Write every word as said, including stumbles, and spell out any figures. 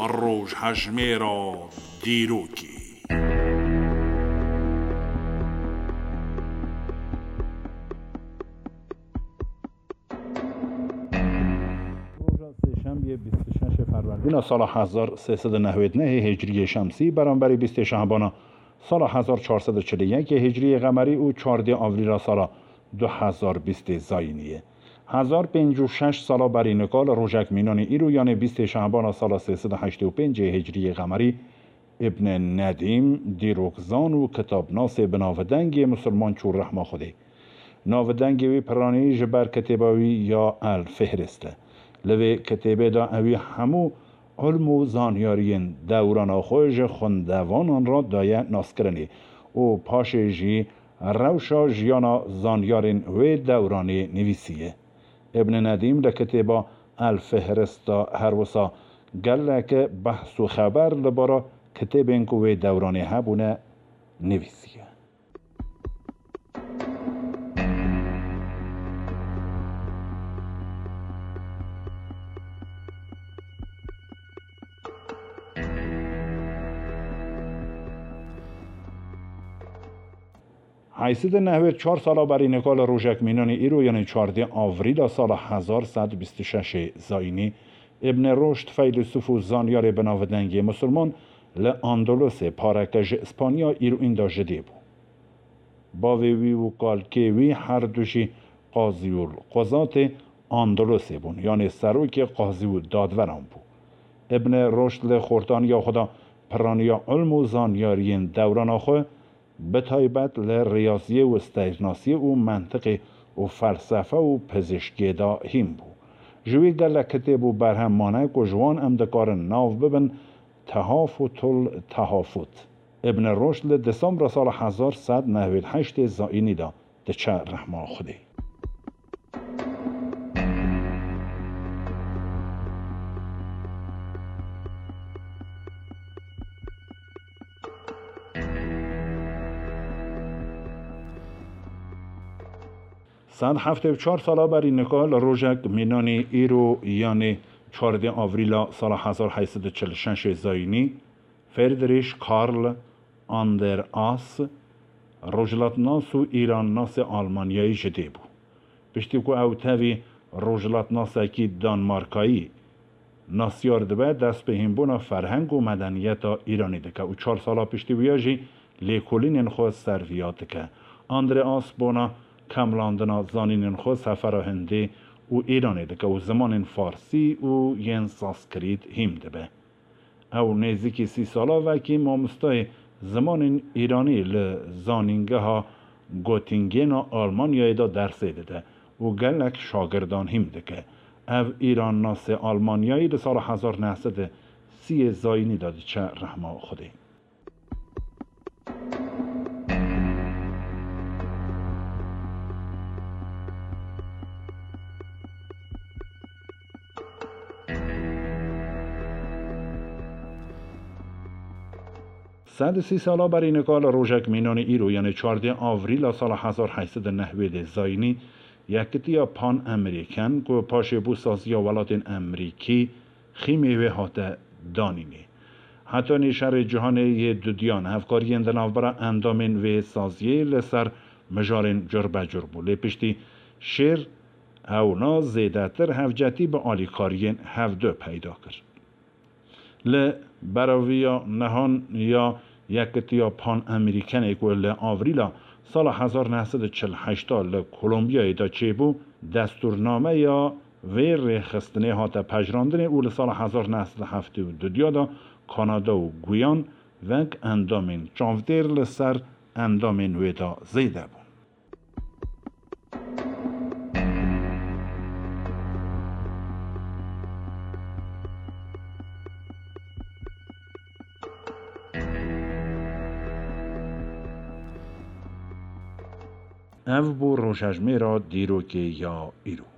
Rojhejmêra dîrokê. Roja sêşemiyê bîst û şeş Ferwerdîna sala hezar sê sed û newêd nehê Hicriyê Şemsî, beramberî bîstê Şehbana sala hezar çar sed û çil û yekê Hicriyê Qemerî û çardê Avrîla sala du hezar bîstê Zayînî ye. Hezar pêncî û şeş sala berî nika li rojek mînanî îro, yanê bîstê Şehbana sala sê sed û heştê û pêncê Hicriyê Qemerî, Îbn Nedîm, dîrokzan û kitabnasê bi navdengê Musulman çû rehma Xwedê. Navdengê wî piranî ji ber kitêba wî ya El Fihrist e. Li vê kitêbê de ewî hemû ilm û zanyariyên dewrana xwe ji xwendevanan re daye naskirinê û paşê jî rewşa jiyana zanyarên wê dewranê nivîsiye. Îbn Nedîm li kitêba El Fihrist de her wisa gelek behs û xeber li bara kitêbên ku wê dewranê hebûne nivîsiye. Heyşt sed û newêd çar sala berî nika li rojek mînanî îro, yanê çardê Avrîla sala hezar sed bîst û şeş Zayînî, Îbn Roşd, feylesûf û zanyarê bi navdengê Musulman, li Andalusê, pareke ji Îspanya, îro înda ji dê bû. Bavê wî û kalkê wî her du jî qazî û quzatê Andalusê bûn, yanê serokê qazî û dadveran bû. Îbn Roşd li xortaniya xwe de piraniya ilm û zanyariyên dewrana xwe, bi taybet li riyaziyê û steyrnasiyê û mentiqê û felsefe û pizîşkiyê de hîn bû. Ji wî gelek kitêb û berhem mane ku ji wan em dikarin nav bibin Tehafutul Tehafut. Îbn Roşd li Desembra sala hezar sed newêd heştê Zayînî de diçe rehma Xwedê. Sed heftê û çar sala berî nika li rojek mînanî îro, yanê çardê Avrîla sala hezar heyşt sed û çil û şeş Zayînî, Friedrich Karl Andreas, rojhilatnas û îrannasê Almanyayî ji dê bû. Piştî ku ew tevî rojhilatnasekî Danmarkayî nasyar dibe, dest bi hînbûna ferheng û medeniyeta Îranî dike û çar sala piştî wiya jî lêkolînên xwe serviya dike. Andreas bona kemlandina zanînên xwe sefera Hindê û Îranê dike û zimanên farsî û yên sanskrit hîn dibe. Ew nêzîkî sî sala vekî mamostayê zimanên îranî li Zanîngeha Göttingena Almanyayê de dersê dide û gelek şagirdan hîn dike. Ev îrannasê Almanyayî li sala hezar neh sed û sî Zayînî de diçe rehma Xwedê. Sed û sî sala berî nika li rojek mînanê îro, yanê çardê Avrîla sala hezar heyşt sed û newêdê Zayînî, Yekitiya Pan-Amerîken, ku paşê bû Saziya Welatên Amerîkî, xîmê wê hate danînê. Hetanî Şerê Cîhanê yê Dudiyan, hevkariyên di navbera endamên vê saziyê li ser mijarên curbecur bû. Lê piştî şêr ewna zêdetir hevcetî bi alîkariyên hevdu peyda kir. Li beraviya nehan ya Yekitiya Pan-Amerîkenê ku li Avrîla sala hezar neh sed û çil heşt li Kolombiyayê de çêbû, destûrnameya vê rêxistinê hate pejirandinê û li sala hezar neh sed û heftê û du de Kanada û Guyan wek endamên çavdêr li ser endamên wê de zêde bûn. Ev bû rojhejmêra dîrokê ya îro.